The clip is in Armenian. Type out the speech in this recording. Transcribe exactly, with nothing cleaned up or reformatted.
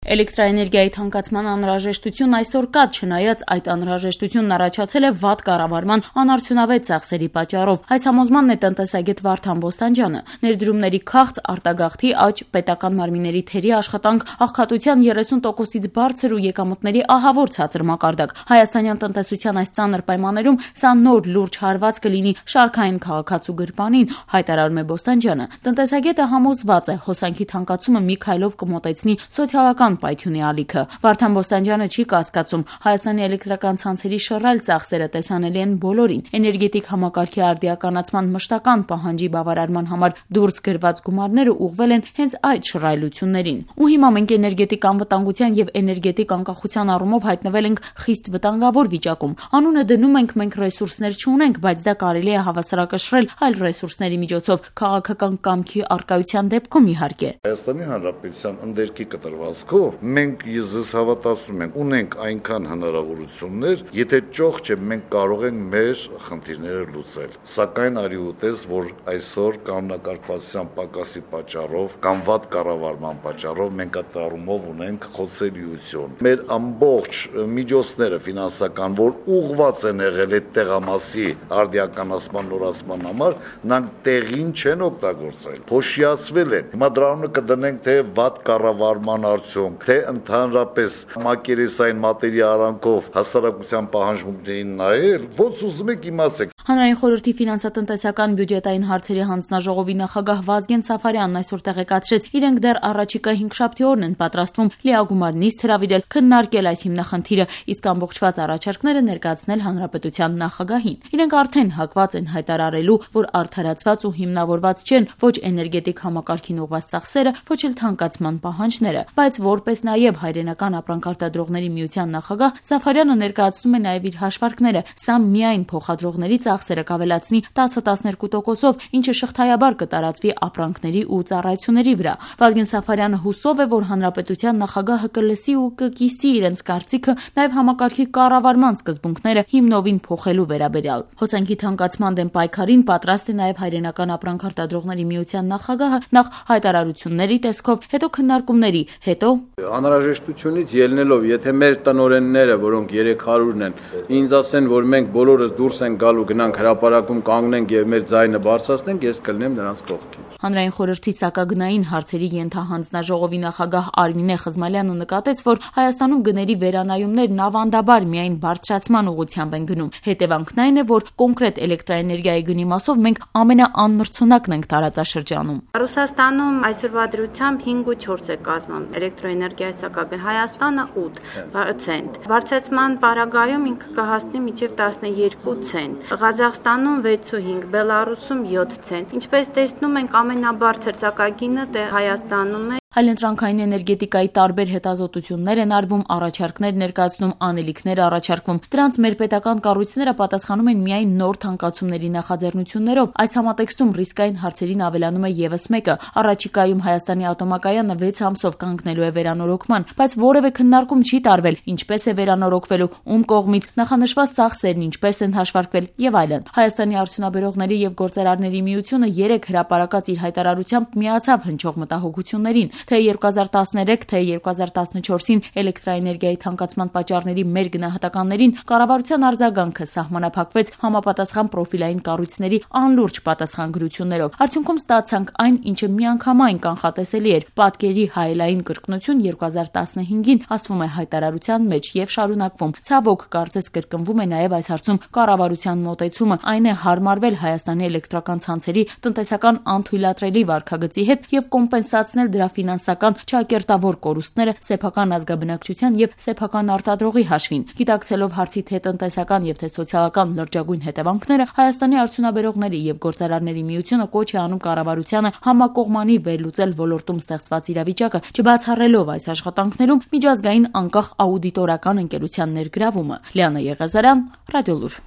Էլեկտրաէներգիայի թանկացման անհրաժեշտությունն այսօր կա, չնայած այդ անհրաժեշտությունն առաջացել է վատ կառավարման անարդյունավետ ծախսերի պատճառով։ Այս համոզմանն է տնտեսագետ Վարդան Բոստանջյանը։ Ներդրումների քաղց, արտագաղթի աճ, պետական մարմինների թերի աշխատանք, աղքատության երեսուն տոկոսից բարձր ու եկամուտների ահավոր ցածր մակարդակ։ Հայաստանյան տնտեսության այս ծանր պայմաններում սա նոր լուրջ հարված կլինի շարքային քաղաքացու գրպանին, հայտարարում է Բոստանջյանը։ Տնտեսագետը համոզված է, հոսանքի թանկացումը մի քայլով կմոտեցնի սոցիալական պայթյունի ալիքը։ Վարդան Բոստանջյանը չի կասկածում, Հայաստանի էլեկտրական ցանցերի շռայլ ծախսերը տեսանելի են բոլորին։ Էներգետիկ համակարգի արդիականացման մշտական պահանջի բավարարման համար դուրս գրված գումարները ուղղվել են հենց այդ շռայլություններին։ Ու հիմա մենք էներգետիկ անվտանգության եւ էներգետիկ անկախության առումով հայտնվել ենք խիստ վտանգավոր վիճակում։ Անունը դնում ենք մենք ռեսուրսներ չունենք, բայց դա կարելի է հավասարակշռել այլ ռեսուրսների միջոցով, քաղաքական կամքի առկայության դեպքում իհարկե։ Հայաստանի Հանրապետության ընդերքի կտրվածքով մենք ես հավատացնում ենք, ունենք այնքան հնարավորություններ, եթե ճոխ չէ, մենք կարող ենք մեր խնդիրները լուծել։ Սակայն արի ուտես, որ այսօր կանոնակարգվածության պակասի պատճառով կամ վատ կառավարման պատճառով մենք այդ առումով ունենք խոցելիություն։ Մեր ամբողջ միջոցները ֆինանսական, որ ուղղված են եղել այդ տեղամասի արդիականացման նորացման համար, նրանք տեղին չեն օգտագործել, փոշիացվել են։ Հիմա դրանով կդնենք թե վատ կառավարման արդյունք, թե ընդհանրապես մակերեսային մատերի արանքով հասարակության պահանջմունքներին նայել, ոնց ուզում եք իմացեք։ Հանրային խորհրդի ֆինանսատնտեսական բյուջետային հարցերի հանձնաժողովի նախագահ Վազգեն Սաֆարյանն այսօր տեղեկացրեց, իրենք դեռ առաջիկա հինգշաբթի օրն են պատրաստվում լիագումար նիստ հրավիրել, քննարկել այս հիմնախնդիրը, իսկ ամբողջված առաջարկները ներկայացնել հանրապետության նախագահին։ Իրենք արդեն հակված են հայտարարելու, որ արդարացված ու հիմնավորված չեն ոչ էներգետիկ համակարգին ուղղված ծախսերը, ոչ էլ թանկացման պահանջները, բայց որպես նաև հայրենական ապրանքարտադրողների միության նախագահ Սաֆարյանը ներկայացնում է նաև իր հաշվարկները։ Սա միայն փոխադրողների ծախսերը կավելացնի տասը տասներկու տոկոսով, ինչը շղթայաբար կտարածվի ապրանքների ու ծառայությունների վրա։ Վազգեն Սաֆարյանը հուսով է, որ հանրապետության նախագահը կլսի ու կկիսի իրենց կարծիքը նաև համակարգի կառավարման սկզբունքները հիմնովին փոխելու վերաբերյալ։ Հոսանքի թանկացման դեմ պայքարին պատրաստ է նաև հայրենական ապրանքարտադրողների միության նախագահը, նախ հայտարարությունների տեսքով, հետո քննարկումների, հետո անհրաժեշտությունից ելնելով, եթե մեր տնօրենները, որոնք երեք հարյուրն են, ինձ ասեն, որ մենք բոլորս դուրս ենք գալու, գնանք հրապարակում կանգնենք եւ մեր ձայնը բարձրացնենք, ես կլնեմ նրանց կողքին։ Հանրային խորհրդի սակագնային հարցերի ենթահանձնաժողովի նախագահ Արմինե Խզմալյանը նկատեց, որ Հայաստանում գների վերանայումներն ավանդաբար միայն բարձրացման ուղղությամբ են գնում։ Հետևանքն այն է, որ կոնկրետ էլեկտրաէներգիայի գնի մասով մենք ամենաանմրցունակն ենք տարածաշրջանում։ Ռուսաստանում այսօրվա դրությամբ հինգ ու չորս է կազմում էլեկտրոէներգիայի սակագն, Հայաստանը ութ ցենտ։ Բարձրացման պարագայում ինքը կհասնի մինչև տասնյոթ ցենտ։ Ղազախստանում վեց ու հինգ, Բելարուսում յոթ ցենտ։ Ինչպես տեսնում ենք, ամենաբարձր սակագինը դե Հայաստանում է։ Այլընտրանքային էներգետիկայի տարբեր հետազոտություններ են արվում, առաջարկներ ներկայացնում, անելիքներ առաջարկվում։ Դրանց մեր պետական կառույցները պատասխանում են միայն նոր թանկացումների նախաձեռնություններով։ Այս համատեքստում ռիսկային հարցերին ավելանում է եւս մեկը։ Առաջիկայում Հայաստանի ատոմակայանը վեց ամսով կանգնելու է վերանորոգման, բայց որևէ քննարկում չի տարվել, ինչպես է վերանորոգվելու, ում կողմից, նախանշված ծախսերն ինչպես են հաշվարկվել եւ այլն։ Հայաստանի արդյունաբերողների եւ գործարարների միությունը երեք հրապարակած իր հայտարարությամբ միացավ հնչող մտահոգություններին։ Թե երկու հազար տասներեք, թե երկու հազար տասնչորսին էլեկտրաէներգիայի թանկացման պատճառների մեր գնահատականներին կառավարության արձագանքը սահմանափակվեց համապատասխան պրոֆիլային կառույցների անլուրջ պատասխանագրություններով։ Արդյունքում ստացանք այն, ինչը միանգամայն կանխատեսելի էր։ Պատկերի հայելային կրկնություն երկու հազար տասնհինգին ասվում է հայտարարության մեջ եւ շարունակվում։ Ցավոք, կարծես կրկնվում է նաեւ այս հարցում կառավարության մոտեցումը, այն է հարմարվել Հայաստանի էլեկտրական ցանցերի տնտեսական անթույլատրելի վարքագծի հետ եւ կոմպենսացնել դրա ֆինանսական չակերտավոր կորուստները սեփական ազգաբնակչության եւ սեփական արտադրողի հաշվին։ Գիտակցելով հարցի թե տնտեսական եւ թե սոցիալական լրջագույն հետևանքները, Հայաստանի արդյունաբերողների եւ գործարարների միությունը կոչ է անում կառավարությանը համակողմանի վերլուծել ոլորտում ստեղծված իրավիճակը, չբացառելով այս աշխատանքներում միջազգային անկախ աուդիտորական ընկերության ներգրավումը։ Լիանա Եղազարյան, Ռադիոլուր։